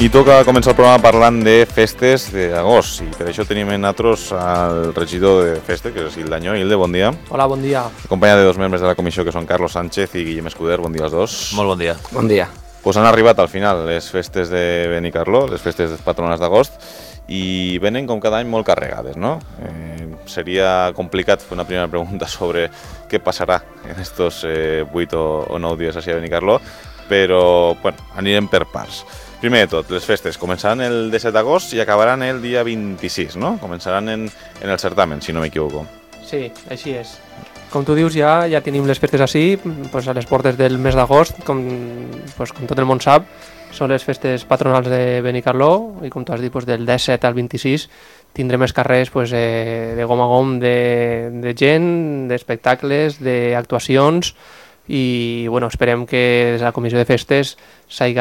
I toca començar el programa parlant de festes d'agost, i per això tenim en nosaltres el regidor de festes, que és Hilde Añó. Hilde, bon dia. Hola, bon dia. Acompanyat de dos membres de la comissió, que són Carlos Sánchez i Guillem Escuder. Bon dia als dos. Molt bon dia. Bon dia. Pues han arribat al final les festes de Benicarló, les festes patronals d'agost, i venen com cada any molt carregades, no? Seria complicat fer una primera pregunta sobre què passarà en estos 8 o 9 dies així a Benicarló, però bueno, anirem per parts. Primer de tot, les festes començaran el 17 d'agost i acabaran el dia 26, no? Començaran en el certamen, si no m'equivoco. Sí, així és. Com tu dius, ja tenim les festes així, pues a les portes del mes d'agost, com tot el món sap, són les festes patronals de Benicarló, i com tu has dit, pues, del 17 al 26 tindrem els carrers de gom a gom de gent, d'espectacles, d'actuacions, i bueno, esperem que des de la comissió de festes s'hagi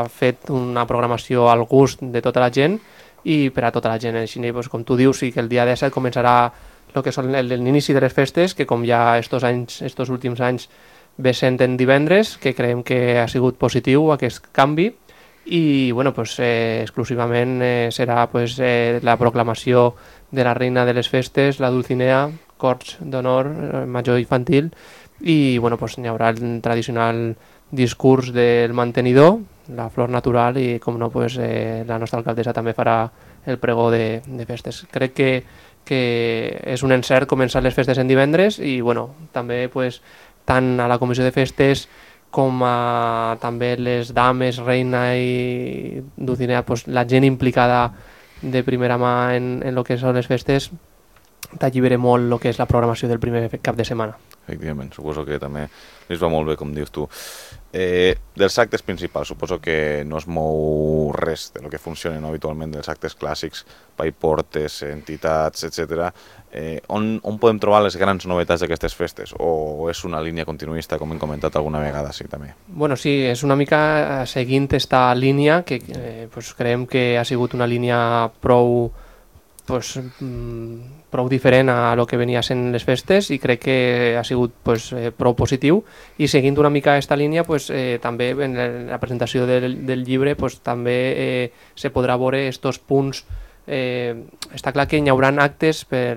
fet una programació al gust de tota la gent i per a tota la gent. Així, doncs, com tu dius, sí que el dia 17 començarà el que són l'inici de les festes, que com ja estos últims anys ve sent en divendres, que creiem que ha sigut positiu aquest canvi, i bueno, pues, exclusivament serà pues, la proclamació de la reina de les festes, la Dulcinea, corts d'honor, major infantil, i bueno, pues, hi haurà el tradicional discurs del mantenidor, la flor natural, i com no, pues, la nostra alcaldessa també farà el pregó de festes. Crec que és un encert començar les festes en divendres, i bueno, també pues, tant a la comissió de festes com a també les dames, reina i Dulcinea, pues, la gent implicada de primera mà en el que són les festes, t'allibera molt el que és la programació del primer cap de setmana. Efectivament, suposo que també els va molt bé, com dius tu. Dels actes principals, suposo que no es mou res de lo que funcionen habitualment dels actes clàssics, paiportes, entitats, etc. On podem trobar les grans novetats d'aquestes festes? O és una línia continuista, com hem comentat alguna vegada, sí, també? Bueno, sí, és una mica seguint esta línia, que pues, creiem que ha sigut una línia prou diferent a lo que venia sent les festes, i crec que ha sigut pues, prou positiu, i seguint una mica aquesta línia pues, també en la presentació del llibre pues, també se podrà veure estos punts. Està clar que hi haurà actes per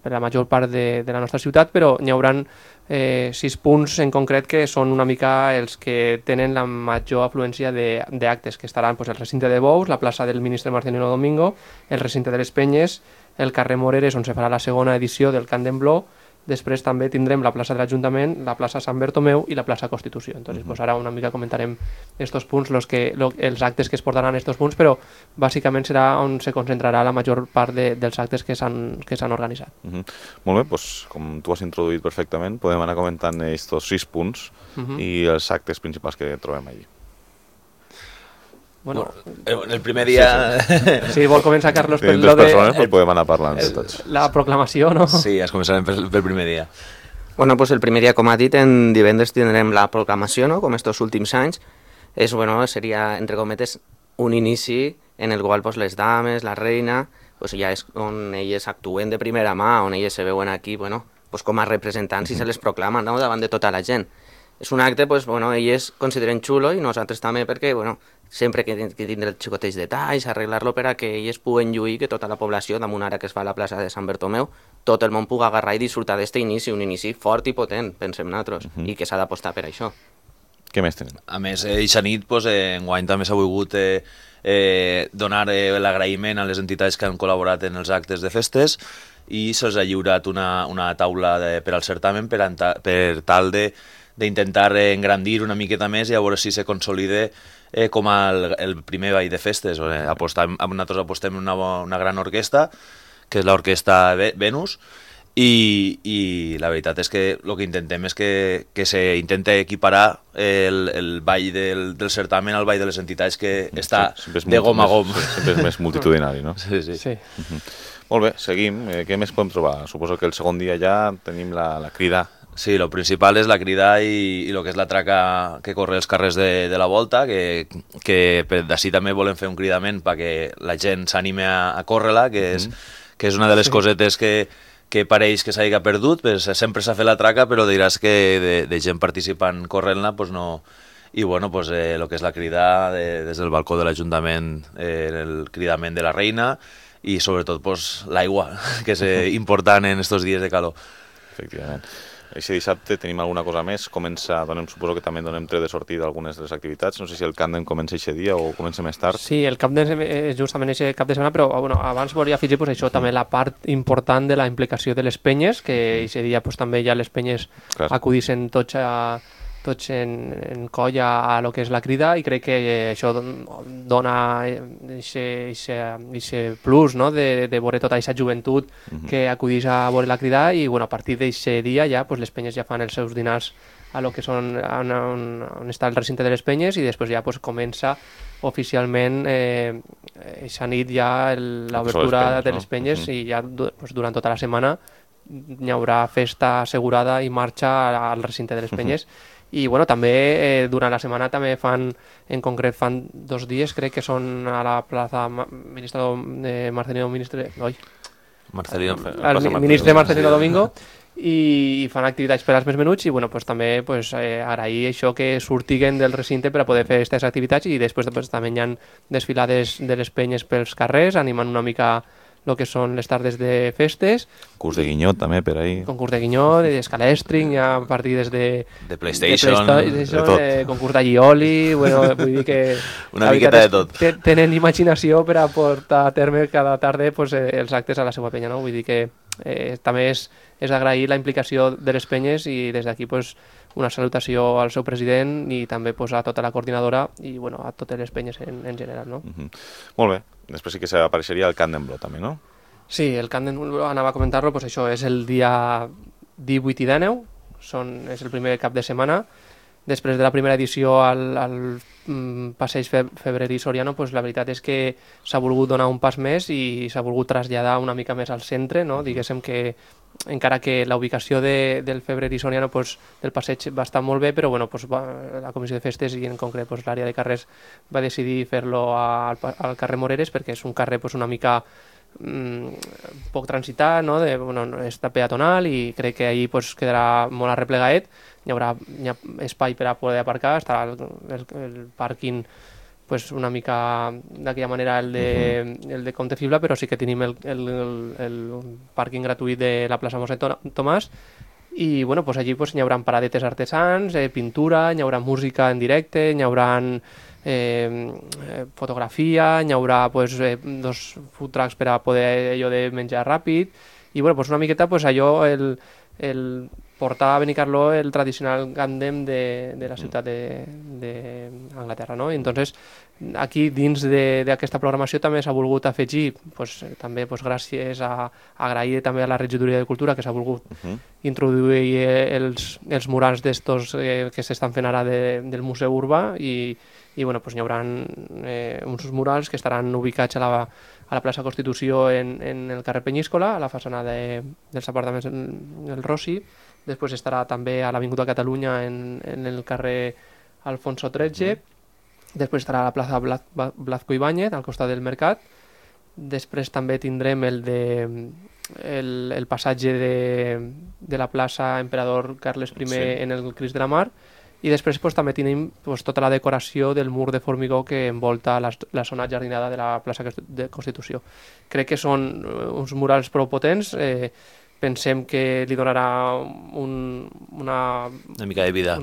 la major part de la nostra ciutat, però hi haurà 6 punts en concret que són una mica els que tenen la major afluència d'actes, que estaran pues, el recinte de Bous, la plaça del ministre Marcelino Domingo, el recinte de les Penyes, el carrer Moreres, on se farà la segona edició del Cant d'Embló. Després també tindrem la plaça de l'Ajuntament, la plaça Sant Bertomeu i la plaça Constitució. Entonces, pues ara una mica comentarem estos punts, els actes que es portaran a estos punts, però bàsicament serà on se concentrarà la major part dels actes que s'han organitzat. Molt bé, doncs, com tu has introduït perfectament, podem anar comentant estos 6 punts i els actes principals que trobem allí. Bueno, el primer dia... Sí, vol començar, Carlos, per lo de... persones, pues podem anar parlant de tots. La proclamació, no? Sí, es començarem pel primer dia. Bueno, pues el primer dia, com ha dit, en divendres tindrem la proclamació, no?, com estos últims anys. Seria, entre cometes, un inici en el qual pues, les dames, la reina, pues, ja és on elles actuen de primera mà, on elles se veuen aquí, bueno, pues, com a representants i se les proclamen, no?, davant de tota la gent. És un acte, pues, bueno, elles consideren xulo, i nosaltres també, perquè, bueno, sempre que tindre els xicotets detalls, arreglar-lo per a que elles puguen lluir, que tota la població, damunt ara que es fa a la plaça de Sant Bertomeu, tot el món pugui agarrar i disfrutar d'aquest inici, un inici fort i potent, pensem nosaltres, i que s'ha d'apostar per això. Què més tenim? A més, eixa nit, enguany també s'ha volgut donar l'agraïment a les entitats que han col·laborat en els actes de festes, i se'ls ha lliurat una taula per al certamen per tal d'intentar engrandir una miqueta més i a veure si se consolida com el primer ball de festes. Nosaltres apostem en una gran orquestra, que és l'orquestra Venus, i la veritat és que el que intentem és que s'intenta equiparar el ball del certamen al ball de les entitats, que està de gom a gom. Sempre és més multitudinari, no? Sí. Molt bé, seguim. Què més podem trobar? Suposo que el segon dia ja tenim la crida. Sí, el principal és la crida i el que és la traca que corre els carrers de la volta, que d'ací també volem fer un cridament perquè la gent s'anime a córrer-la, que és una de les cosetes que pareix que s'hagi perdut. Sempre s'ha fet la traca, però diràs que de gent participant corrent-la no, i bueno, pues, el que és la crida des del balcó de l'Ajuntament, el cridament de la reina i sobretot pues, l'aigua, que és important en estos dies de calor. Efectivament. Aquest dissabte tenim alguna cosa més, suposo que també donem tret de sortida algunes de les activitats, no sé si el Càndem comença aquest dia o comença més tard. Sí, el Càndem és justament aquest cap de setmana, però bueno, abans volia afegir pues, això, també la part important de la implicació de les penyes, que aquest dia pues, també ja les penyes acudissin tots en colla a lo que és la crida i crec que això dona aquest plus, no? de veure tota aquesta joventut que acudís a veure la crida i bueno, a partir d'aquest dia ja pues, les penyes ja fan els seus dinars a lo que són on està el recinte de les penyes i després ja pues, comença oficialment aquesta nit ja l'obertura de les penyes i ja pues, durant tota la setmana hi haurà festa assegurada i marxa al recinte de les penyes. I bueno, també durant la setmana també en concret fan 2 dies, crec que són a la plaça Marcelino Ministre Marcelino Domingo i fan activitats per als més menuts i bueno, pues, també pues, agrair això que surtiguen del recinte per a poder fer aquestes activitats i després pues, també hi ha desfilades de les penyes pels carrers animant una mica el que són les tardes de festes. Concurs de guinyot també per ahí. Concurs de guinyot, d'escalèstring, hi ha partides de PlayStation, concurs d'allioli, bueno, vull dir que una miqueta de tot. Tenen imaginació per a portar a terme cada tarda pues, els actes a la seva penya, no? Vull dir que també és agrair la implicació de les penyes i des d'aquí pues, una salutació al seu president i també pues, a tota la coordinadora i bueno, a totes les penyes en general. No? Molt bé. Després sí que apareixeria el Càndem Blo també, no? Sí, el Càndem Blo, anava a comentar-lo, pues això és el dia 18 i 19, és el primer cap de setmana. Després de la primera edició al passeig Febrerí Soriano, pues la veritat és que s'ha volgut donar un pas més i s'ha volgut traslladar una mica més al centre, no? Diguéssim que encara que la ubicació del Febrerí Soriano pues, del passeig va estar molt bé, però bueno, pues, la Comissió de Festes i en concret pues, l'àrea de carrers va decidir fer-lo al carrer Moreres perquè és un carrer pues, una mica poc transitat, no? Bueno, està peatonal i crec que ahir pues, quedarà molt arreplegaet, hi ha espai per a poder aparcar, estarà el pàrquing pues una mica d'aquella manera el de Comte Fibla, però sí que tenim el pàrquing gratuït de la plaça Mossèn Tomàs i bueno, pues allí pues, hi haurà paradetes artesans, pintura, hi haurà música en directe, hi haurà fotografia, hi haurà pues, 2 food trucks per a poder allò de menjar ràpid i bueno, pues, una miqueta pues, allò el portar a Benicarló el tradicional Càndem de la ciutat d'Anglaterra, no? I entonces aquí dins d'aquesta programació també s'ha volgut afegir, pues, també pues, gràcies a agrair també a la Regidoria de Cultura que s'ha volgut introduir els murals d'estos que s'estan fent ara del Museu Urbà i bueno, pues, hi haurà uns murals que estaran ubicats a la plaça Constitució en el carrer Penyíscola, a la façana dels apartaments del Rossi. Després estarà també a l'Avinguda Catalunya en el carrer Alfonso XIII. Després estarà a la plaça Blazco Ibáñez, al costat del Mercat. Després també tindrem el passatge de la plaça Emperador Carles I en el Crist de la Mar. I després pues, també tenim pues, tota la decoració del mur de formigó que envolta la zona jardinada de la plaça de Constitució. Crec que són uns murals prou potents, pensem que li donarà una mica de vida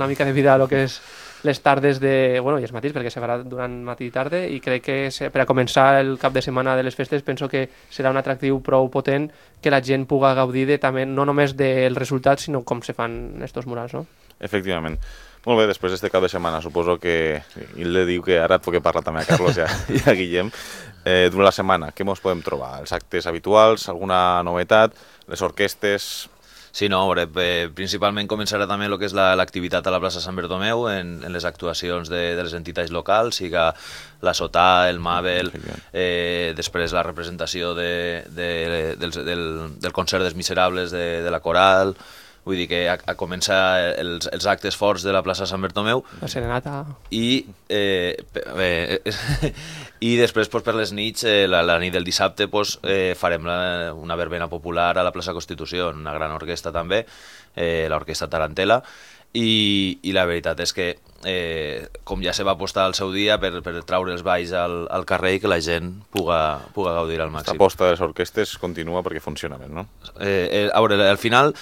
a lo que és les tardes i els matins, perquè se farà durant matí i tarda, i crec que per a començar el cap de setmana de les festes penso que serà un atractiu prou potent que la gent puga gaudir també no només del resultat, sinó com se fan estos murals, no? Efectivament. Molt bé, després d'este cap de setmana, suposo que Hilde diu que ara et puc parlar també a Carlos i a Guillem. Durant la setmana, què ens podem trobar? Els actes habituals, alguna novetat, les orquestes... Sí, no, principalment començarà també el que és l'activitat a la plaça Sant Bertomeu en les actuacions de les entitats locals, siga la Sotà, el Mabel, després la representació del concert dels Miserables de la Coral. Vull dir que a començar els actes forts de la plaça Sant Bertomeu. La serenata. I després per les nits, la nit del dissabte, farem una verbena popular a la plaça Constitució, una gran orquestra també, l'orquestra Tarantela, i la veritat és que com ja se va apostar al seu dia per traure els balls al carrer i que la gent puga gaudir al màxim. L'aposta de les orquestes continua perquè funciona bé, no? A veure, al final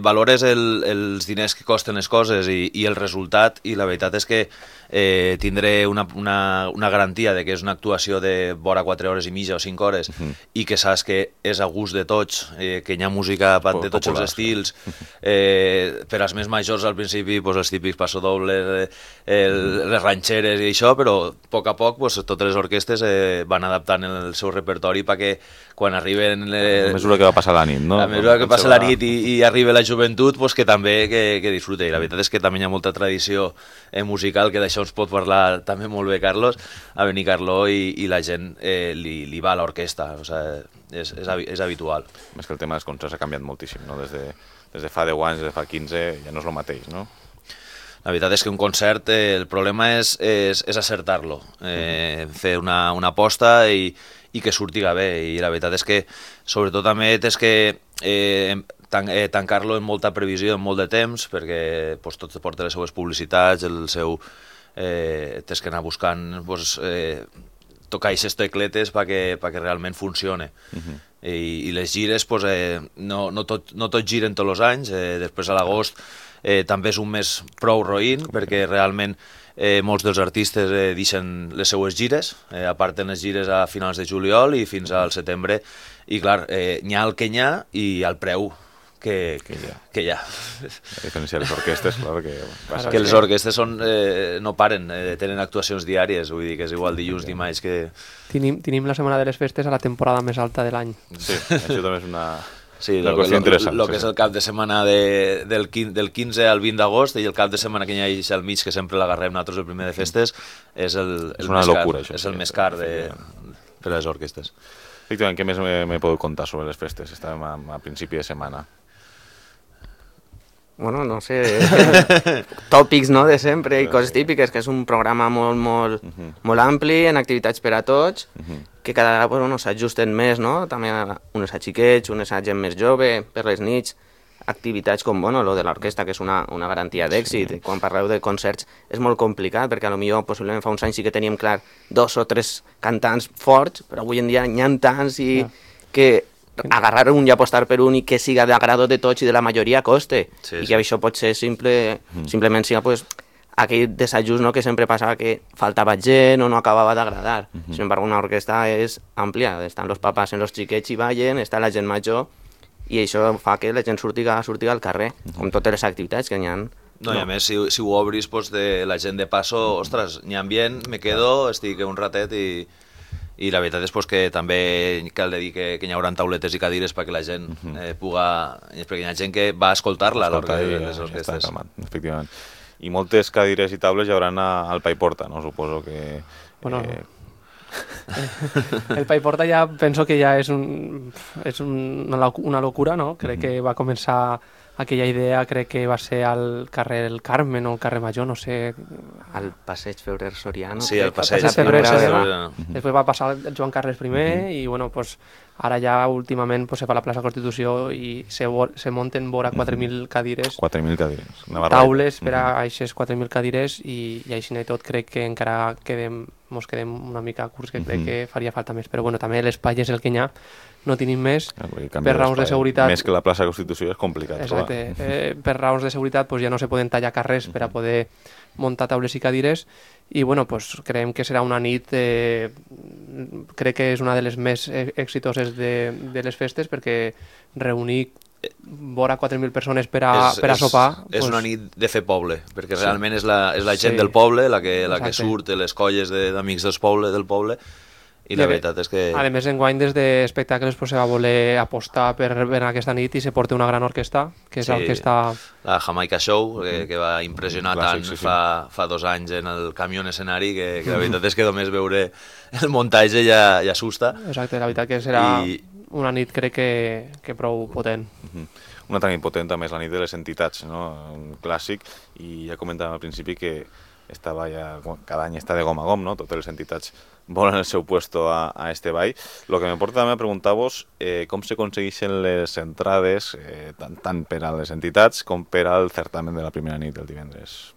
valores els diners que costen les coses i el resultat, i la veritat és que tindré una garantia de que és una actuació de vora 4 hores i mitja o 5 hores i que saps que és a gust de tots, que hi ha música de tots els estils, per als més majors al principi els típics passodobles, les ranxeres i això, però a poc totes les orquestes van adaptant el seu repertori perquè quan arriben... A mesura que va passar la nit, no? A mesura que passa la nit i arriba la joventut, que també que disfrute. I la veritat és que també hi ha molta tradició musical, que d'això ens pot parlar també molt bé Carlos, a Benicarló, i la gent li va a l'orquestra, o sigui, és habitual. Més que el tema dels concerts ha canviat moltíssim, no? Des de fa 10 anys, des de fa 15, ja no és el mateix, no? La veritat és que un concert, el problema és acertar-lo, fer una aposta i que surtiga bé, i la veritat és que sobretot també és que tancar-lo en molta previsió, en molt de temps, perquè tot porta les seues publicitats, el seu... tens que anar buscant tocar aquestes tecletes perquè realment funcione. I les gires no tot giren tots els anys, després a l'agost també és un mes prou roïn, perquè realment molts dels artistes deixen les seues gires, aparten les gires a finals de juliol i fins al setembre, i clar, n'hi ha el que n'hi ha i el preu que hi ha. A diferència de les orquestes, clar, que les orquestes no paren, tenen actuacions diàries, vull dir que és igual dilluns, dimarts que... Tenim la setmana de les festes a la temporada més alta de l'any. Sí, això també és una... Sí, el que és el cap de setmana del 15 al 20 d'agost, i el cap de setmana que hi ha al mig, que sempre l'agarrem nosaltres el primer de festes, és una locura, això. És el més car per a les orquestes. Efectivament, què més me podeu contar sobre les festes? Estàvem a principi de setmana. Bueno, no sé, tòpics, no?, de sempre i coses típiques, que és un programa molt ampli, en activitats per a tots, que cada vegada s'ajusten més, no?, també unes a xiquets, unes a gent més jove, per les nits, activitats com, lo de l'orquestra, que és una garantia d'èxit. Quan parleu de concerts és molt complicat, perquè potser possiblement fa uns anys sí que teníem clar 2 o 3 cantants forts, però avui en dia n'hi ha tants i que agarrar un i apostar per un i que siga d'agrado de tots i de la majoria coste. I que això pot ser simplement siga aquell desajust, no?, que sempre passava, que faltava gent o no acabava d'agradar. Sin embargo, una orquestra és àmplia, estan els papás en els xiquets i ballen, està la gent major, i això fa que la gent surtiga al carrer, com totes les activitats que n'hi ha. No, i a més, si ho obris de la gent de passo, ostres, n'hi ha ambient, me quedo, estic un ratet i la veritat és que també cal dir que hi haurà tauletes i cadires perquè la gent puga... perquè hi ha gent que va escoltar-la a les orquestes. Efectivament. I moltes cadires i taules hi hauran al Pa i Porta, no? Suposo que... Bueno, el Pa i Porta ja penso que ja és una locura, no? Crec que va començar aquella idea, crec que va ser al carrer El Carmen o al carrer Major, no sé... Al passeig Febrer Soriano. Sí, al passeig Febrer Soriano. Després va passar el Joan Carles I i, ara ja últimament se fa la plaça Constitució i se munten vora 4.000 cadires. 4.000 cadires. Taules per a aquestes 4.000 cadires i així i tot crec que encara mos quedem una mica curts, que crec que faria falta més. Però també l'espai és el que hi ha, no tenim més, per raons de seguretat... Més que la plaça Constitució és complicat. Exacte, per raons de seguretat ja no se poden tallar carrers per a poder muntar taules i cadires i creiem que serà una nit, crec que és una de les més exitoses de les festes, perquè reunir vora 4.000 persones per a sopar... És una nit de fer poble, perquè realment és la gent del poble la que surt, les colles d'amics del poble, i la veritat és que... A més, enguany des d'espectacles se va voler apostar per aquesta nit i se porta una gran orquestra, que és l'orquestra... La Jamaica Show, que va impressionar tant fa 2 anys en el camió en escenari, que la veritat és que només veure el muntatge ja assusta. Exacte, la veritat que serà una nit crec que prou potent. Una altra nit potent també és la nit de les entitats, no? Un clàssic, i ja comentàvem al principi que esta ball cada any està de gom a gom, no? Totes les entitats volen el seu puesto a este ball. Lo que me porta també a preguntar-vos com s'aconsegueixen les entrades tant per a les entitats com per al certamen de la primera nit del divendres.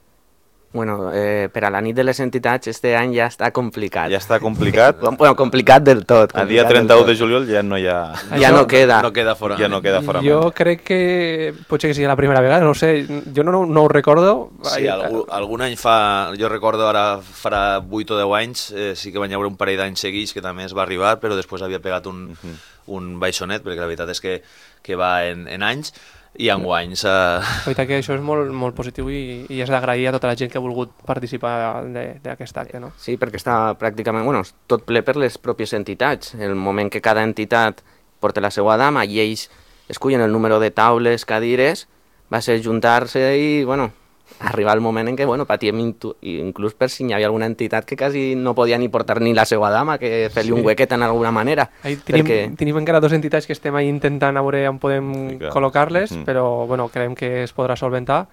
Bueno, per a la nit de les entitats este any ja està complicat. Ja està complicat? Bueno, complicat del tot. A dia 31 de juliol ja no hi ha... Ja no queda. No queda fora. Ja no queda fora. Jo crec que potser que sigui la primera vegada, no sé, jo no ho recordo. Sí, algun any fa, jo recordo ara farà 8 o 10 anys, sí que van haver un parell d'anys seguits que també es va arribar, però després havia pegat un baixonet, perquè la veritat és que va en anys, i enguany La veritat que això és molt positiu i és d'agrair a tota la gent que ha volgut participar d'aquest acte, no? Sí, perquè està pràcticament, bueno, tot ple per les pròpies entitats. El moment que cada entitat porta la seva dama i ells escullen el número de taules, cadires, va ser juntar-se i, bueno, arribar el moment en què, bueno, patíem inclús per si hi havia alguna entitat que quasi no podia ni portar ni la seva dama, que fer-li un huequet en alguna manera. Tenim encara 2 entitats que estem ahí intentant a veure on podem col·locar-les, però bueno, creiem que es podrà solventar,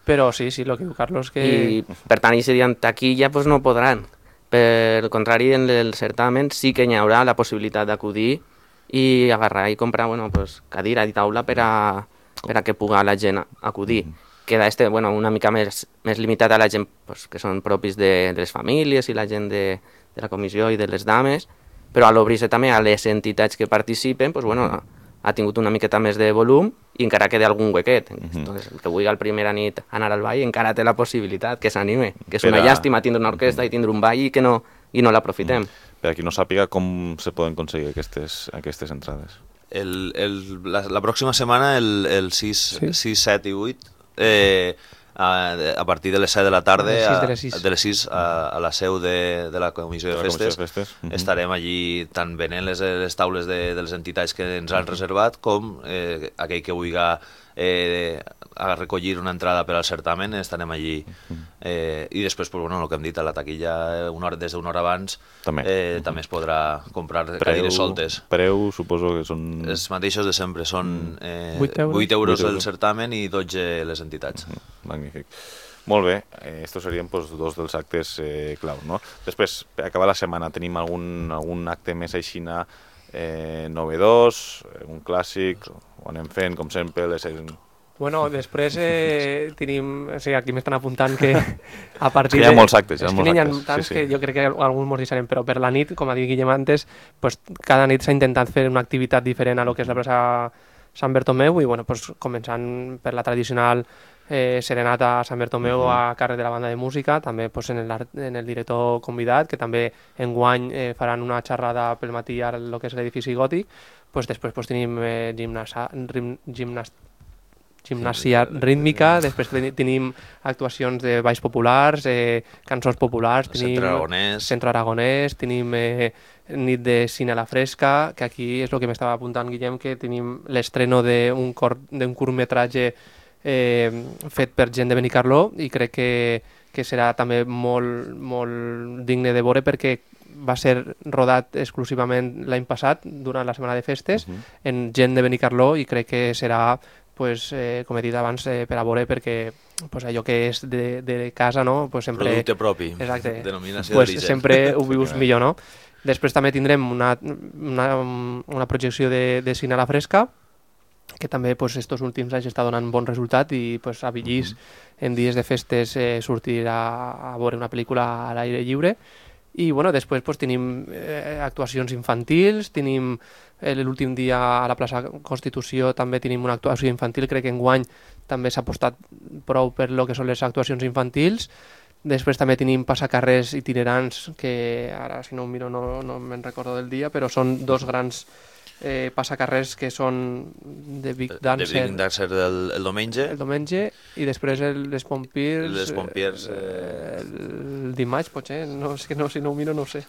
però sí, el que diu Carlos que... I per tant, si diuen taquilla, doncs no podran. Per contrari, en el certamen sí que hi haurà la possibilitat d'acudir i agarrar i comprar, bueno, pues, cadira i taula per a que puga la gent acudir. Queda bueno, una mica més limitat a la gent pues, que són propis de les famílies i la gent de la comissió i de les dames, però a l'obrir-se també a les entitats que participen, pues, bueno, ha tingut una miqueta més de volum i encara queda algun huequet. Entonces, el que vulgui la primera nit anar al ball encara té la possibilitat que s'anime, que és una llàstima tindre una orquestra i tindre un ball i no l'aprofitem. Per a qui no sàpiga, com se poden aconseguir aquestes entrades? La pròxima setmana, el 6, 7 i 8, a partir de les 7 de la tarda, de les 6 a la seu de la Comissió de Festes, estarem allí tant venent les taules de les entitats que ens han reservat com aquell que vulgui a recollir una entrada per al certamen, estarem allí. I després, el que hem dit, a la taquilla des d'una hora abans també es podrà comprar cadires soltes. Preu, suposo que són... Els mateixos de sempre, són 8 euros el certamen i 12 les entitats. Magnífic. Molt bé, estos serien dos dels actes clau, no? Després, per acabar la setmana, tenim algun acte més aixina novedós, un clàssic, ho anem fent, com sempre, Bueno, després tenim... O sigui, aquí m'estan apuntant que a partir de... Hi ha molts actes, N'hi ha tants que jo crec que alguns mos deixarem, però per la nit, com ha dit Guillem antes, pues, cada nit s'ha intentat fer una activitat diferent a lo que és la plaça Sant Bertomeu i, bueno, pues, començant per la tradicional serenata a Sant Bertomeu a càrrec de la banda de música, també pues, en el director convidat, que també enguany faran una xerrada pel matí a lo que és l'edifici gòtic, pues, després pues, tenim gimnàsia rítmica, després tenim actuacions de balls populars, cançons populars, tenim Centre Aragonès, tenim nit de cine a la fresca, que aquí és el que m'estava apuntant Guillem, que tenim l'estreno d'un curtmetratge fet per gent de Benicarló i crec que serà també molt digne de veure perquè va ser rodat exclusivament l'any passat durant la setmana de festes en gent de Benicarló i crec que serà pues, com he dit abans, per a veure, perquè pues, allò que és de casa, no? Pues, sempre... Producte propi, exacte, denominació pues, d'origen. Sempre ho vius millor, no? Després també tindrem una projecció de cine a la fresca, que també pues, estos últims anys està donant bon resultat i pues, a Villís en dies de festes sortir a veure una pel·lícula a l'aire lliure. I bueno, després pues, tenim actuacions infantils, tenim l'últim dia a la plaça Constitució també tenim una actuació infantil, crec que enguany també s'ha apostat prou per lo que són les actuacions infantils. Després també tenim passacarrers itinerants, que ara si no ho miro no me'n recordo del dia, però són 2 grans passacarrers que són de Big Dancer, el diumenge i després les Pompiers el dimarts potser, no, és que no, si no ho miro no ho sé.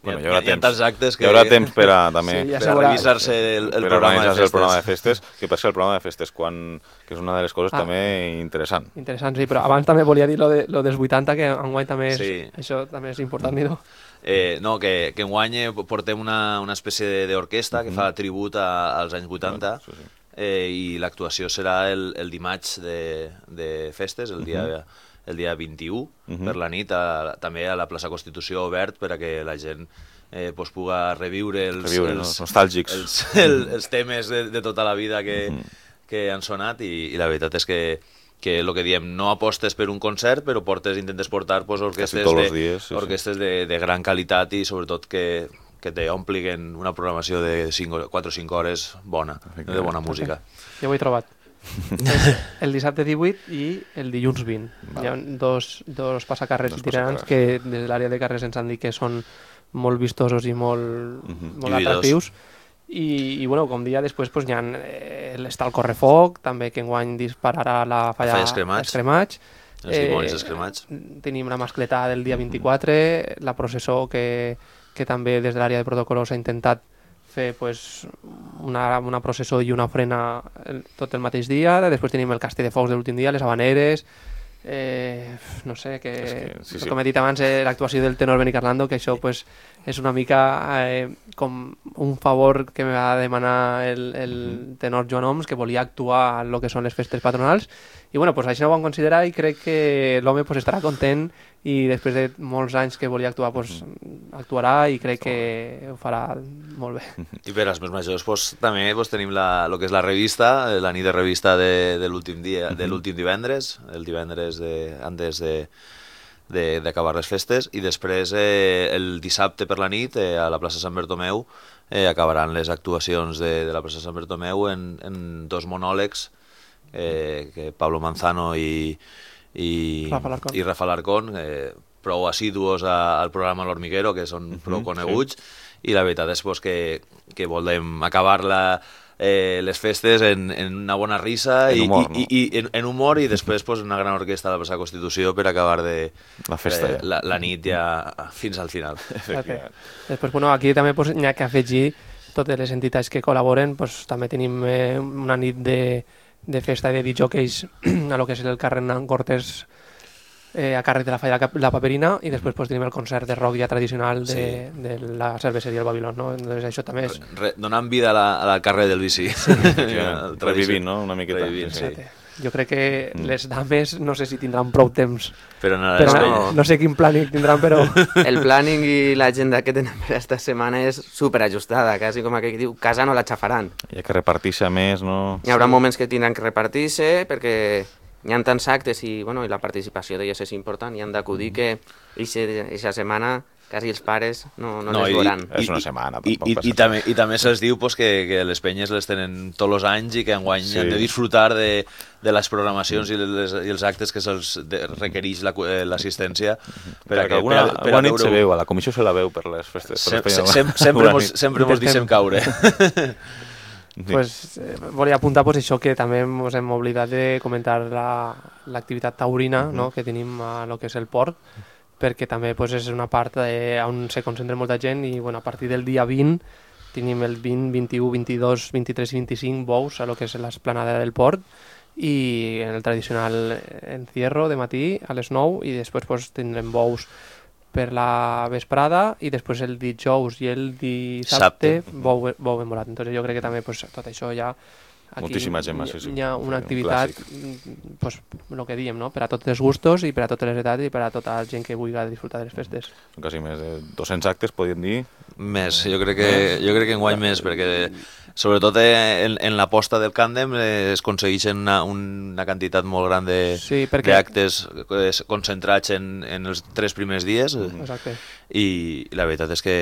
Bueno, hi haurà tants actes que... Hi haurà temps per a revisar-se el programa de festes. Que per ser el programa de festes, que és una de les coses també interessant. Interessant, sí, però abans també volia dir lo dels 80, que enguany també això també és important, no? No, que enguany portem una espècie d'orquestra que fa tribut als anys 80 i l'actuació serà el dimarts de festes, el dia el dia 21 per la nit, també a la plaça Constitució obert per a que la gent pues, puga reviure nostàlgics. els temes de tota la vida que han sonat i la veritat és que el que diem, no apostes per un concert, però intentes portar pues, orquestes de gran qualitat i sobretot que t'ompliguin una programació de 4 o 5 hores bona, de bona música. Jo ho he trobat. El dissabte 18 i el dilluns 20. Hi ha dos passacarrers itinerants que des de l'àrea de carrers ens han dit que són molt vistosos i molt atractius. I bueno, com dia després pues, està el correfoc, també que enguany dispararà la falla escremats. Els dimonis escremats. Tenim la mascletà del dia 24, la processó que també des de l'àrea de protocol s'ha intentat fer pues, una processó i una ofrena tot el mateix dia. Després tenim el castell de focs de l'últim dia, les habaneres, no sé, com he dit abans, l'actuació del tenor Beni Carlando, que això pues, és una mica com un favor que me va demanar el tenor Joan Oms, que volia actuar en el que són les festes patronals, i bueno, pues, això ho vam considerar i crec que l'home pues, estarà content i després de molts anys que volia actuar pues, actuarà i crec que ho farà molt bé. I per als més majors pues, també pues, tenim el que és la revista, la nit de revista de l'últim divendres, el divendres antes d'acabar les festes, i després el dissabte per la nit a la plaça Sant Bertomeu acabaran les actuacions de la plaça Sant Bertomeu en 2 monòlegs que Pablo Manzano i Rafa Larcón, prou assidus al programa L'Hormiguero, que són prou coneguts, i la veritat és pues, que volem acabar les festes en una bona rissa en humor i després pues, una gran orquestra a la plaça Constitució per acabar la festa la nit ja fins al final. Després, bueno, aquí també pues, hi ha que afegir totes les entitats que col·laboren, pues, també tenim una nit de festa de disjòqueis a lo que és el carrer Nan Cortés a càrrec de la Falla La Paperina, i després pues, tenim el concert de rock ja tradicional de la cerveseria El Babilón, no? Entonces, això també és... Donant vida al carrer del bici. Revivint, no? Una miqueta. Jo crec que les dames no sé si tindran prou temps però no sé quin plàning tindran, però... El plàning i l'agenda que tenen per aquesta setmana és superajustada, quasi com aquell que diu, casa no la xafaran. Hi ha que repartir-se més, no? Hi haurà moments que tindran que repartir-se perquè hi ha tants actes i la participació d'elles és important, i han d'acudir que aquesta setmana quasi els pares no les veuran. És una setmana. I també se'ls diu pues, que les penyes les tenen tots els anys i que enguany han de disfrutar de les programacions i els actes que se'ls requereix l'assistència. Alguna nit se veu, a la comissió se la veu per les festes. Sempre mos deixem caure. Pues, volia apuntar pues, això que també ens hem oblidat de comentar l'activitat taurina no? Que tenim a lo que és el port, perquè també pues, és una part on se concentra molta gent i bueno, a partir del dia 20 tenim el 20, 21, 22, 23 i 25 bous a lo que és l'esplanada del port i en el tradicional encierro de matí a les 9 i després pues, tindrem bous per la vesprada i després el dijous i el dissabte bou embolat. Entonces jo crec que també pues, tot això ja aquí moltíssima gent, hi ha una activitat pues, el que diem, no? Per a tots els gustos i per a totes les edats i per a tota la gent que vulgui disfrutar de les festes. Quasi més de 200 actes, podríem dir? Més, jo crec que enguany més, perquè sobretot en l'aposta del Càndem es aconsegueixen una quantitat molt gran d'actes concentrats en els 3 primers dies. Exacte. I la veritat és que...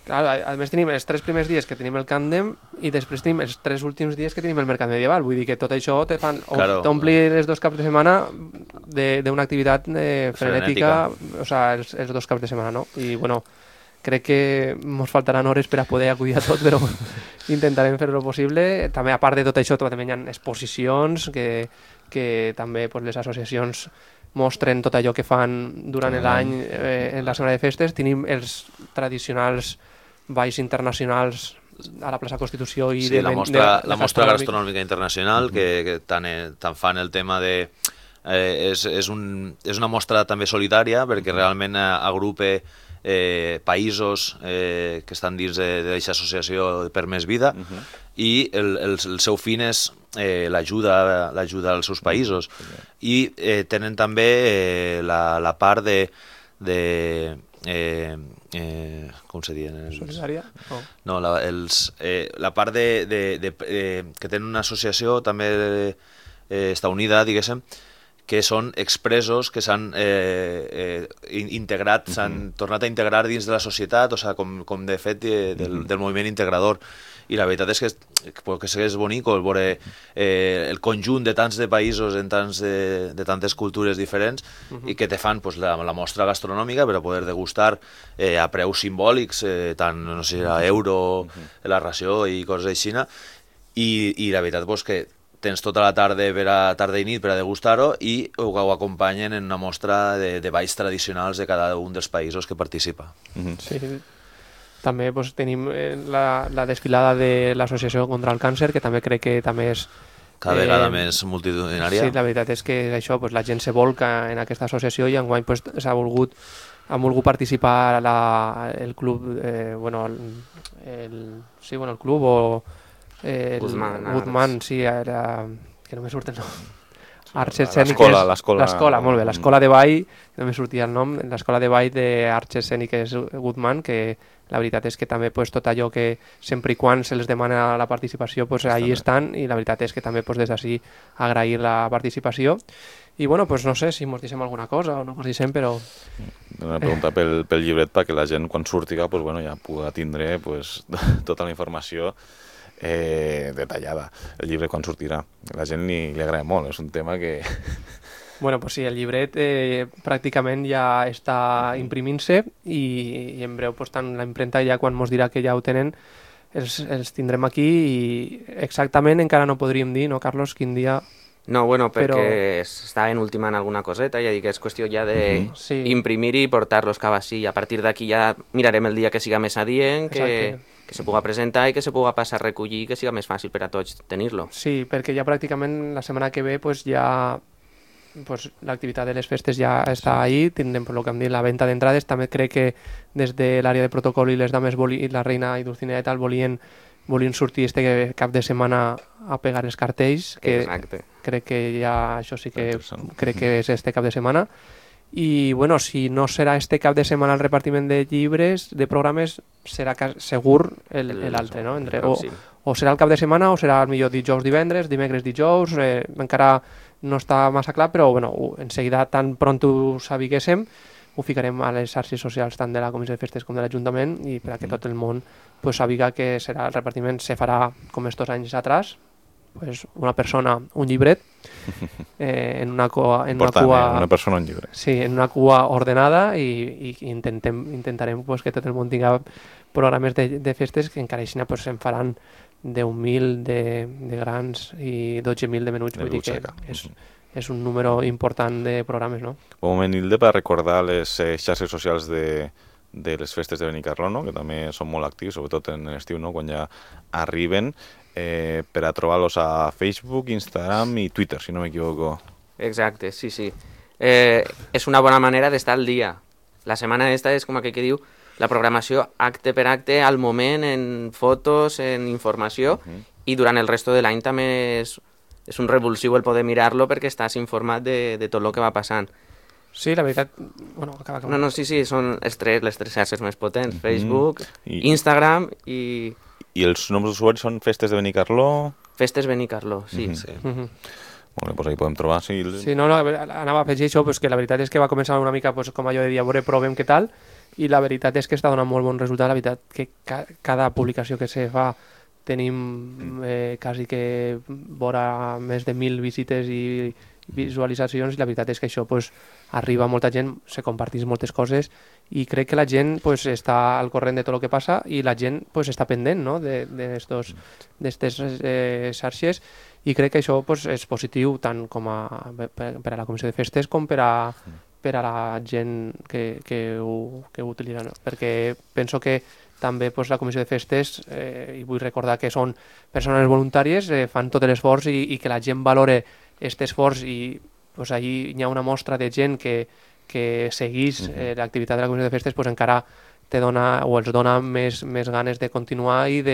Clar, a més tenim els 3 primers dies que tenim el Càndem i després tenim els 3 últims dies que tenim el Mercat Medieval. Vull dir que tot això t'omplir els 2 caps de setmana d'una activitat frenètica, o sigui, els 2 caps de setmana, no? I bueno, crec que ens faltaran hores per a poder acudir a tot, però intentarem fer-ho possible. També, a part de tot això, també hi ha exposicions que també pues, les associacions mostren tot allò que fan durant l'any en la setmana de festes. Tenim els tradicionals balls internacionals a la plaça Constitució i la mostra gastronòmica internacional que tant fan el tema de és una mostra també solidària perquè realment agrupa països que estan dins d'aquesta associació per Més Vida, i el seu fin és l'ajuda als seus països. I tenen també la part com se diuen? Solidària? No, la part que tenen una associació també està unida, diguéssim, que són expresos que s'han integrat, s'han tornat a integrar dins de la societat, o sigui, com de fet del moviment integrador. I la veritat és que és bonic veure el conjunt de tants de països de tantes cultures diferents i que te fan la mostra gastronòmica per a poder degustar a preus simbòlics, tant, no sé, a euro, la ració i coses així. I la veritat que tens tota la tarda i nit per a degustar-ho i ho acompanyen en una mostra de balls tradicionals de cada un dels països que participa. Sí. També tenim la desfilada de l'Associació contra el Càncer, que també crec que també és... Cada vegada més multitudinària. Sí, la veritat és que això, la gent se volca en aquesta associació i enguany han volgut participar el club, el club o Guzmán, sí, era... que no me surt el nom. Arts escèniques... L'escola, molt bé, l'escola de ball, no me sortia el nom, l'escola de ball d'Arts escèniques Guzmán, que la veritat és que també tot allò que sempre i quan se'ls demana la participació, ahí estan, i la veritat és que també des d'ací agrair la participació. I bueno, no sé si mos deixem alguna cosa o no mos deixem, però... Una pregunta pel llibret perquè la gent quan surtiga ja pugui tindre tota la informació detallada. El llibre quan sortirà. A la gent li agrada molt, és un tema que... Bueno, sí, el llibret pràcticament ja està imprimint-se i en breu tant la impremta ja quan mos dirà que ja ho tenen els tindrem aquí i exactament encara no podríem dir, no, Carlos, quin dia... No, bueno, perquè estaven ultimant alguna coseta, ja dic que és qüestió ja d'imprimir-hi i portar-los cap així, i a partir d'aquí ja mirarem el dia que siga més adient, que se puga presentar i que se puga passar a recollir, que siga més fàcil per a tots tenir-lo. Sí, perquè ja pràcticament la setmana que ve ja l'activitat de les festes ja està ahí, tindrem el que hem dit, la venda d'entrades. També crec que des de l'àrea de protocol i les dames, la reina i Dulcinea i tal, volien sortir este cap de setmana a pegar els cartells, que exacte. Crec que ja això sí que crec que és este cap de setmana. I bueno, si no serà este cap de setmana el repartiment de llibres, de programes, serà segur l'altre, no? O serà el cap de setmana o serà millor dijous, divendres, dimecres, dijous, encara no està massa clar, però bueno, en seguida, tan pront ho sabiguéssim, ho ficarem a les xarxes socials tant de la Comissió de Festes com de l'Ajuntament i per a que tot el món sàpiga que serà el repartiment, se farà com estos anys atrás, una persona, un llibret, en una cua... una persona, un llibre. Sí, en una cua ordenada i intentarem que tot el món tinga programes de festes que encara així se'n faran 10.000 de grans i 12.000 de menuts, vull dir que és un número important de programes, no? Un moment, Hilde, per recordar les xarxes socials de les festes de Benicarló, no? Que també són molt actius, sobretot en l'estiu, no? Quan ja arriben, per a trobar-los a Facebook, Instagram i Twitter, si no m'equivoco. Exacte, sí. És una bona manera d'estar al dia. La setmana esta és com aquell que diu la programació acte per acte al moment, en fotos, en informació, i durant el resto de l'any també és un revulsiu el poder mirar-lo perquè estàs informat de tot el que va passant. Sí, la veritat... Bueno, acaba. No, sí, són les tres xarxes més potents, Facebook, Instagram i... I els noms d'usuaris són Festes de Benicarló? Festes Benicarló, sí. Molt bé, doncs ahí podem trobar. Sí, anava a afegir això, que la veritat és que va començar una mica com allò de dir, a veure, provem què tal, i la veritat és que està donant molt bon resultat. La veritat que cada publicació que se fa tenim quasi que vora més de 1.000 visites i visualitzacions, i la veritat és que això arriba a molta gent, se comparteix moltes coses i crec que la gent està al corrent de tot el que passa i la gent està pendent, no? d'estes xarxes, i crec que això és positiu tant com per a la Comissió de Festes com per a la gent que ho utilitza, no? Perquè penso que també la Comissió de Festes, i vull recordar que són persones voluntàries, fan tot l'esforç i que la gent valore aquest esforç, i allí hi ha una mostra de gent que que seguís l'activitat de la Comissió de Festes, pues encara te dona o els dona més ganes de continuar i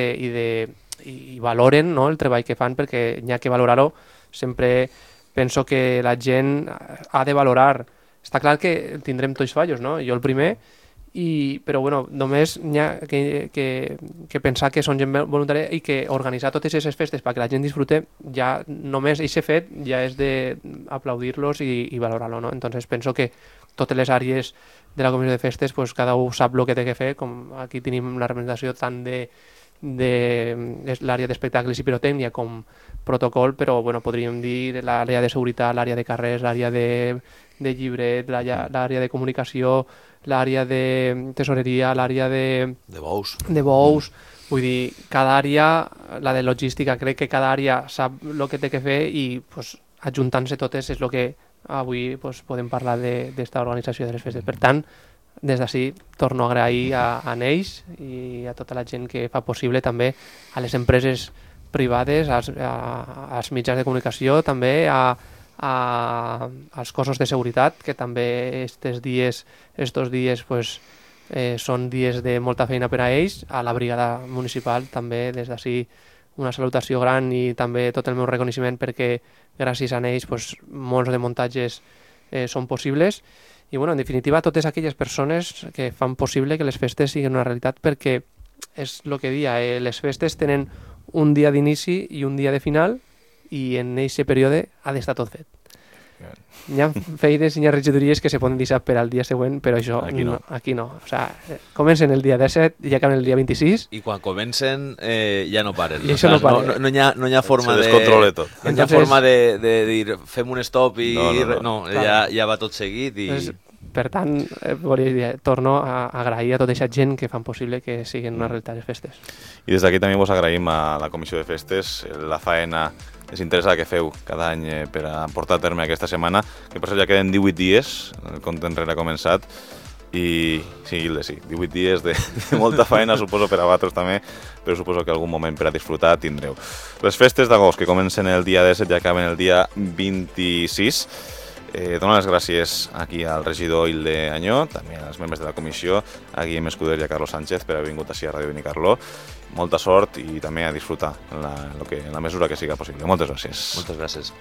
valoren, no, el treball que fan, perquè n'hi ha que valorar-ho. Sempre penso que la gent ha de valorar. Està clar que tindrem tots fallos, no? Jo el primer, però bueno, només n'hi ha que pensar que són gent voluntària i que organitzar totes aquestes festes perquè la gent disfrute, ja només aquest fet ja és d'aplaudir-los i valorar-lo, no? Entonces penso que totes les àrees de la Comissió de Festes, pues, cada un sap el que té que fer, com aquí tenim la representació tant de l'àrea d'espectacles i pirotècnia com protocol, però bueno, podríem dir l'àrea de seguretat, l'àrea de carrers, l'àrea de llibret, l'àrea de comunicació, l'àrea de tesoreria, l'àrea de bous. Vull dir, cada àrea, la de logística, crec que cada àrea sap el que té que fer i pues, ajuntant-se totes és el que avui pues, podem parlar d'esta organització de les festes. Per tant, des d'ací torno a agrair a Neix i a tota la gent que fa possible, també a les empreses privades, als mitjans de comunicació, també als cossos de seguretat, que també estos dies pues, són dies de molta feina per a ells, a la brigada municipal també des d'ací una salutació gran i també tot el meu reconeixement perquè gràcies a ells pues, molts de muntatges són possibles. I bueno, en definitiva, totes aquelles persones que fan possible que les festes siguin una realitat, perquè és el que dia, les festes tenen un dia d'inici i un dia de final i en aquest període ha d'estar tot fet. Hi ha feines i hi ha regidories que se poden deixar per al dia següent, però això aquí no. O sigui, comencen el dia 17 i acaben el dia 26. I quan comencen ja no paren. I això no para. No hi ha forma se descontrola tot. No hi ha forma de dir fem un stop i... No. Ja va tot seguit i... Per tant, torno a agrair a tota aquesta gent que fan possible que siguin una realitat les festes. I des d'aquí també vos agraïm a la Comissió de Festes la faena desinteressada que feu cada any per a portar a terme aquesta setmana, que per cert ja queden 18 dies, el compte enrere ha començat, i sí, 18 dies de molta faena, suposo, per a vosaltres també, però suposo que algun moment per a disfrutar tindreu. Les festes d'agost, que comencen el dia 17 i acaben el dia 26, dono les gràcies aquí al regidor Hilde Añó, també als membres de la comissió, a Guillem Escuder i a Carlos Sánchez per haver vingut així a Ràdio Benicarló. Molta sort i també a disfrutar en la mesura que siga possible. Moltes gràcies. Moltes gràcies.